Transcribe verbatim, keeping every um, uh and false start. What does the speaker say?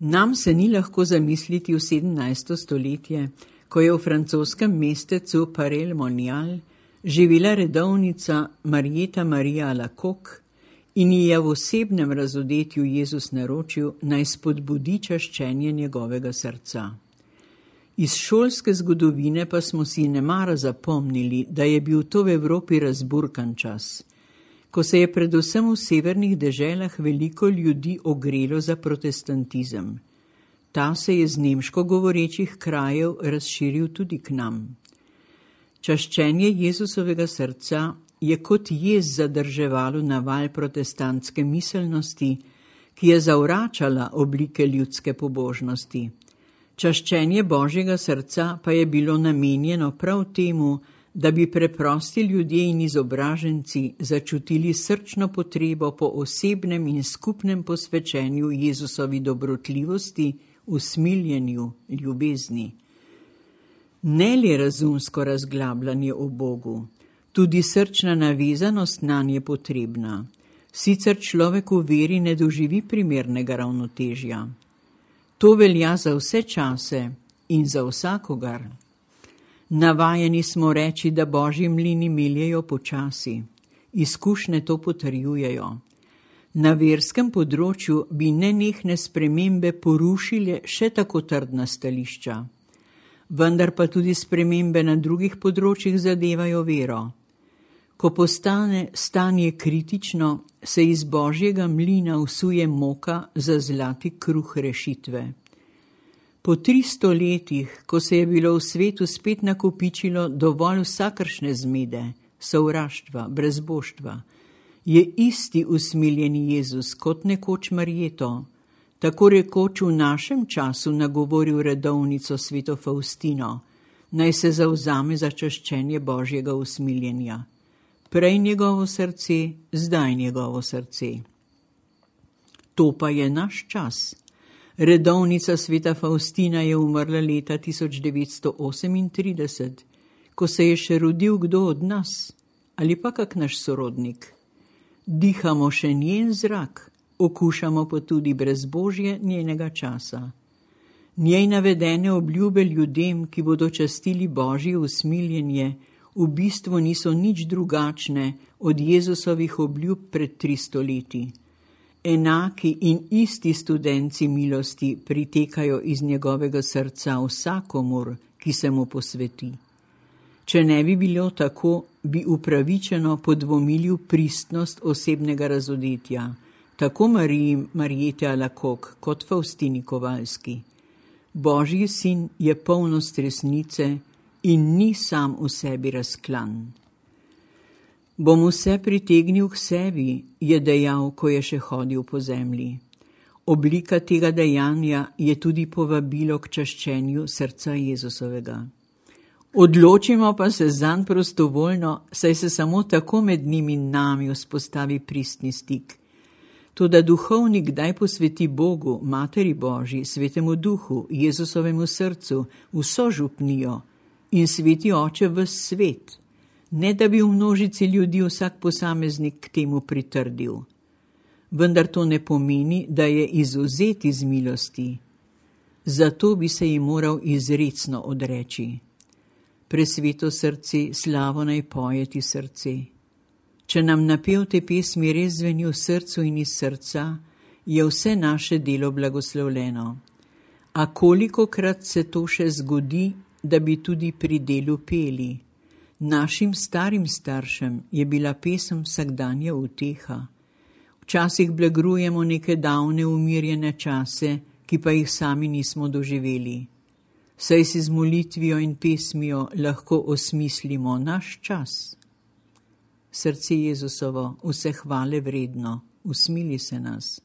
Nam se ni lahko zamisliti v sedemnajsto stoletje, ko je v francoskem mestecu Parel-Monial živela redovnica Marjeta Marija Alacoque in ji je v osebnem razodetju Jezus naročil, naj spodbudi čaščenje njegovega srca. Iz šolske zgodovine pa smo si nemara zapomnili, da je bil to v Evropi razburkan čas, ko se je predvsem v severnih deželah veliko ljudi ogrelo za protestantizem. Ta se je z nemško govorečih krajev razširil tudi k nam. Čaščenje Jezusovega srca je kot jez zadrževalo naval protestantske miselnosti, ki je zavračala oblike ljudske pobožnosti. Čaščenje Božjega srca pa je bilo namenjeno prav temu, da bi preprosti ljudje in izobraženci začutili srčno potrebo po osebnem in skupnem posvečenju Jezusovi dobrotljivosti, usmiljenju, ljubezni. Ne le razumsko razglabljanje o Bogu, tudi srčna navezanost nanj je potrebna. Sicer človek v veri ne doživi primernega ravnotežja. To velja za vse čase in za vsakogar. Navajeni smo reči, da Božji mlini meljejo počasi. Izkušnje to potrjujejo. Na verskem področju bi nenehne spremembe porušile še tako trdna stališča. Vendar pa tudi spremembe na drugih področjih zadevajo vero. Ko postane stanje kritično, se iz Božjega mlina vsuje moka za zlati kruh rešitve. Po tristo letih, ko se je bilo v svetu spet nakopičilo dovolj vsakršne zmede, sovraštva, brezboštva, je isti usmiljeni Jezus kot nekoč Marjeto, tako rekoč v našem času nagovoril redovnico sveto Faustino, naj se zavzame za čaščenje Božjega usmiljenja. Prej njegovo srce, zdaj njegovo srce. To pa je naš čas. Redovnica sveta Faustina je umrla leta tisoč devetsto osemintrideset, ko se je še rodil kdo od nas, ali pa kak naš sorodnik. Dihamo še njen zrak, okušamo pa tudi brezbožje njenega časa. Njej navedene obljube ljudem, ki bodo častili Božje usmiljenje, v bistvu niso nič drugačne od Jezusovih obljub pred tristo leti. Enaki in isti studenci milosti pritekajo iz njegovega srca vsakomur, ki se mu posveti. Če ne bi bilo tako, bi upravičeno podvomili v pristnost osebnega razodetja, tako Mariji Marjete Alacoque kot Faustini Kovalski. Božji sin je polnost resnice in ni sam v sebi razklan. Bom vse pritegnil k sebi, je dejal, ko je še hodil po zemlji. Oblika tega dejanja je tudi povabilo k čaščenju srca Jezusovega. Odločimo pa se zanj prostovoljno, saj se samo tako med njimi in nami vzpostavi pristni stik. Toda duhovnik kdaj posveti Bogu, Materi Božji, Svetemu Duhu, Jezusovemu srcu, vso župnijo in sveti Oče ves svet, ne da bi v množici ljudi vsak posameznik k temu pritrdil. Vendar to ne pomeni, da je izvzet iz milosti. Zato bi se ji moral izrecno odreči. Presveto srce, slavo naj poje ti srce. Če nam napev te pesmi res zveni v srcu in iz srca, je vse naše delo blagoslovljeno. A kolikokrat se to še zgodi, da bi tudi pri delu peli? Našim starim staršem je bila pesem vsakdanja uteha. Včasih blagrujemo neke davne umirjene čase, ki pa jih sami nismo doživeli. Saj si z molitvijo in pesmijo lahko osmislimo naš čas. Srce Jezusovo, vse hvale vredno, usmili se nas.